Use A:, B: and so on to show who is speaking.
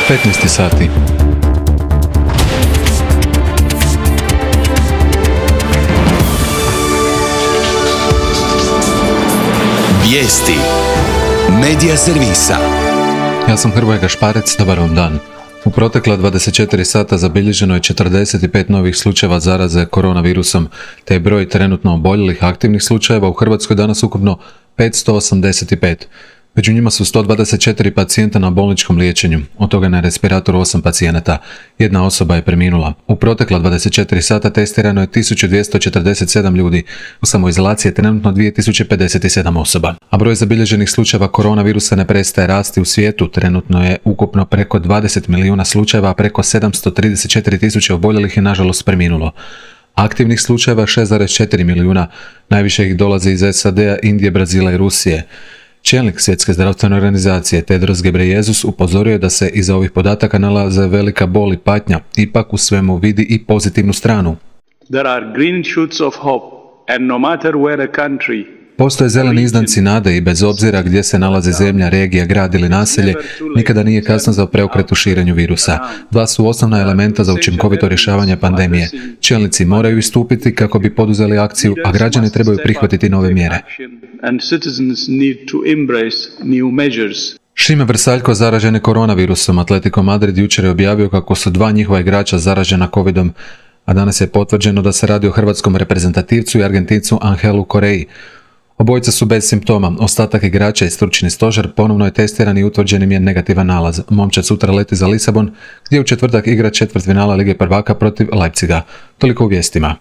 A: 15 sati.
B: Vijesti Medija servisa.
A: Ja sam Hrvoje Gašparec, dobar vam dan. U protekla 24 sata zabilježeno je 45 novih slučajeva zaraze koronavirusom, te je broj trenutno oboljelih aktivnih slučajeva u Hrvatskoj danas ukupno 585. Među njima su 124 pacijenta na bolničkom liječenju, od toga na respiratoru 8 pacijenata. Jedna osoba je preminula. U protekla 24 sata testirano je 1247 ljudi. U samoizolaciji je trenutno 2057 osoba. A broj zabilježenih slučajeva koronavirusa ne prestaje rasti u svijetu. Trenutno je ukupno preko 20 milijuna slučajeva, a preko 734 tisuće oboljelih je nažalost preminulo. Aktivnih slučajeva 6,4 milijuna. Najviše ih dolazi iz SAD-a, Indije, Brazila i Rusije. Čelnik Svjetske zdravstvene organizacije Tedros Ghebreyesus upozorio je da se iza ovih podataka nalaze velika bol i patnja, ipak u svemu vidi i pozitivnu stranu.
C: There are green shoots of hope, and no matter where a country.
A: Postoje zeleni izdanci nade i bez obzira gdje se nalazi zemlja, regija, grad ili naselje, nikada nije kasno za preokret u širenju virusa. Dva su osnovna elementa za učinkovito rješavanje pandemije. Čelnici moraju istupiti kako bi poduzeli akciju, a građani trebaju prihvatiti nove mjere. Šime Vrsaljko zaražen je koronavirusom. Atletico Madrid jučer je objavio kako su dva njihova igrača zaražena covidom, a danas je potvrđeno da se radi o hrvatskom reprezentativcu i Argentincu Angelu Corei. Obojica su bez simptoma. Ostatak igrača i stručni stožer ponovno je testiran i utvrđen im je negativan nalaz. Momčad sutra leti za Lisabon, gdje u četvrtak igra četvrtfinala Lige prvaka protiv Leipziga. Toliko u vijestima.